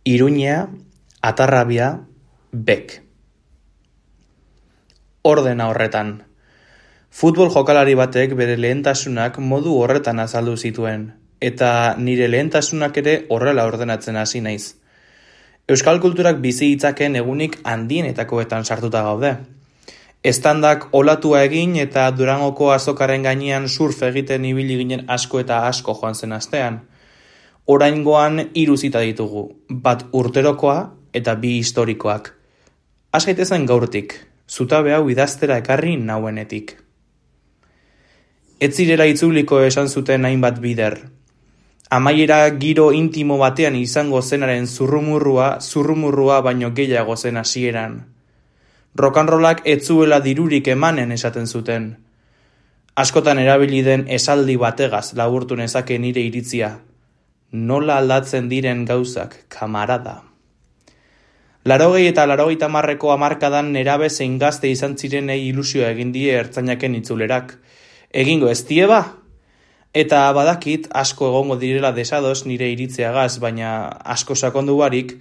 Iruñea, Atarrabia, Bek. Ordena horretan. Futbol jokalari batek bere lehentasunak modu horretan azaldu zituen, eta nire lehentasunak ere horrela ordenatzen hasi naiz. Euskal kulturak bizi hitzaken egunik handienetakoetan sartuta gaude. Estandak olatua egin eta Durangoko azokaren gainean surf egiten ibili ginen asko eta asko joan zen astean. Oraingoan 3 zita ditugu, bat urterokoa eta 2 historikoak. Has gaitezen gaurtik, zutabe hau idaztera ekarri nauenetik. Ez zirela itzuliko esan zuten hainbat bider. Amaiera giro intimo batean izango zenaren zurrumurrua baino gehiago zen hasieran. Rock'n'rollak ez zuela dirurik emanen esaten zuten. Askotan erabili den esaldi bategaz laburtu nezake nire iritzia. Nola aldatzen diren gauzak, kamarada. 80 eta 90 hamarkadan nerabe zein gazte izan zirenei ilusioa egin die ertzainaken itzulerak. Egingo ez die ba? Eta badakit asko egongo direla desados nire iritzeagaz, baina asko sakondu barik,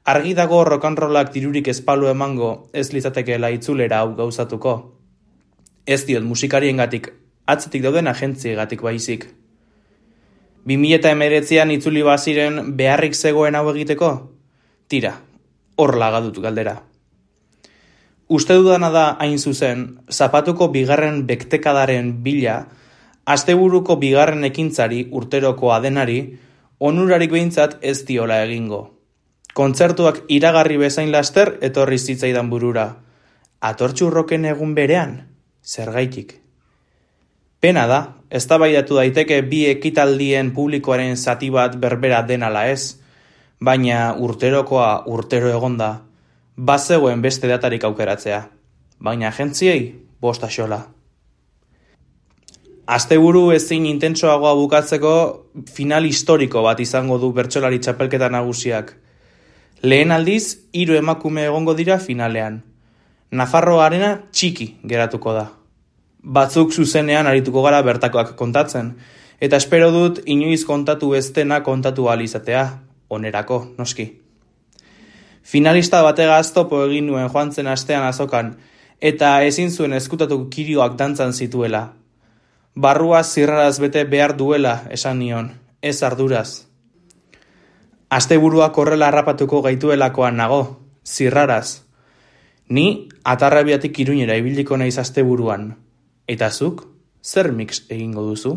argi dago rock'n'rollak dirurik ezpalu emango ez litzatekeela itzulera hau gauzatuko. Ez diot musikariengatik, atzetik dauden agentziagatik baizik. 2019an itzuli baziren beharrik zegoen hau egiteko? Tira, hor lagadut galdera. Uste dudana da hain zuzen, zapatuko bigarren bektekadaren bila, asteburuko bigarren ekintzari urteroko adenari, onurarik behintzat ez diola egingo. Kontzertuak iragarri bezain laster etorri zitzaidan burura. Atortxurroken egun berean, zergaitik. Pena da, eztabaidatu daiteke 2 ekitaldien publikoaren zati bat berbera denala ez, baina urterokoa urtero egonda, bazegoen beste datarik aukeratzea, baina agentziei 5 axola. Asteburu ezin intentsoagoa bukatzeko final historiko bat izango du bertsolari txapelketa nagusiak. Lehen aldiz, 3 emakume egongo dira finalean. Nafarroarena txiki geratuko da. Batzuk zuzenean arituko gara bertakoak kontatzen, eta espero dut inoiz kontatu ez dena kontatu ahal izatea, onerako, noski. Finalista bategaz topo egin nuen joan zen astean azokan, eta ezin zuen ezkutatu kirioak dantzan zituela. Barrua zirraraz bete behar duela esan nion, ez arduraz. Asteburuak horrela harrapatuko gaituelakoan nago, zirraraz. Ni Atarrabiatik Iruñera ibiliko naiz asteburuan. Eta zuk, zer mix egingo duzu?